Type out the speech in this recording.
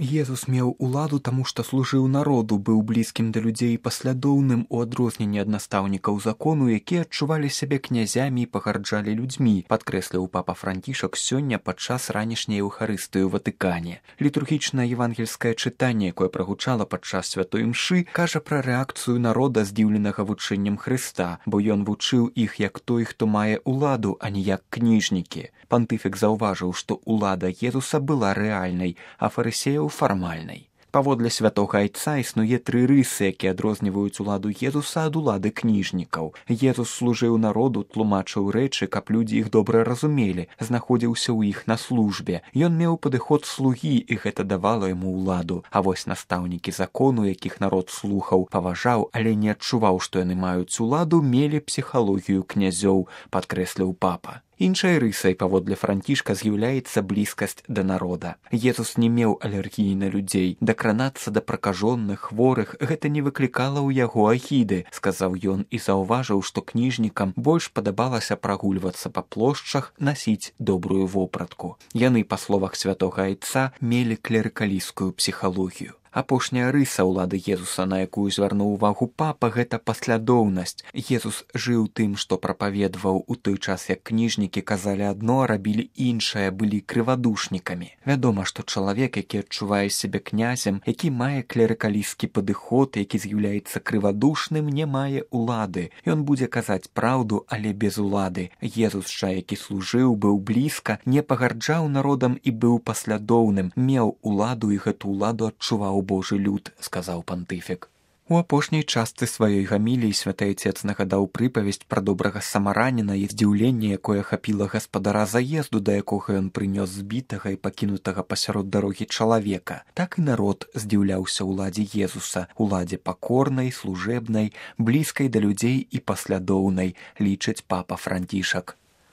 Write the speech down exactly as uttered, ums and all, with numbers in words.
Езус меў уладу таму, што служыў народу, быў блізкім да людзей і паслядоўным у адрозненні ад настаўнікаў закону, якія адчувалі сябе князямі і пагарджалі людзьмі, падкрэсліў папа Францішак сёння падчас ранішняй эўхарыстыі ў Ватыкане. Літургічнае евангельскае чытанне, якое прагучала падчас святой імшы, кажа пра рэакцыю народа, здзіўленага вучэннем Хрыста, бо ён вучыў іх як той, хто мае уладу, а не як кніжнікі. Пантыфік заўважыў, што улада Езуса была рэальнай, а фарысеяў фармальнай. Паводле святога айца існуе тры рысы, якія адрозніваюць уладу Езуса ад улады кніжнікаў. Езус служыў народу, тлумачыў рэчы, каб людзі іх добра разумелі, знаходзіўся ў іх на службе. Ён меў падыход слугі, і гэта давала яму ўладу. А вось настаўнікі закону, якіх народ слухаў, паважаў, але не адчуваў, што яны маюць уладу, мелі псіхалогію князёў, падкрэсліў папа. Іншай рысай, паводле Францішка, з'яўляецца блізкасць да народа. Езус не меў алергіі на людзей. Дакранацца да пракажоных, хворых гэта не выклікала ў яго агіды, сказаў ён і заўважыў, што кніжнікам больш падабалася прагульвацца па плошчах, насіць добрую вопратку. Яны, па словах святога айца, мелі клерыкалісцкую псіхалогію. Апошняя рыса ўлады Езуса, на якую звярнуў увагу папа, гэта паслядоўнасць. Езус жыў тым, што прапаведваў у той час, як кніжнікі казалі адно, а рабілі іншае, былі крывадушнікамі. Вядома, што чалавек, які адчувае сябе князем, які мае клерыкалісцкі падыход, які з'яўляецца крывадушным, не мае улады. Ён будзе казаць праўду, але без улады. Езус жа, які служыў, быў блізка, не пагарджаў народам і быў паслядоўным, меў уладу і гэту ўладу адчуваў Божы люд, сказаў пантыфік. У апошняй частцы сваёй гаміліі святы айцец нагадаў прыпавесць пра добрага самараніна і здзіўленне, якое хапіла гаспадара заезду, да якога ён прынёс збітага і пакінутага пасярод дарогі чалавека. Так і народ здзіўляўся ўладзе Езуса, уладзе пакорнай, служэбнай, блізкай да людзей і паслядоўнай, лічыць папа Францішак.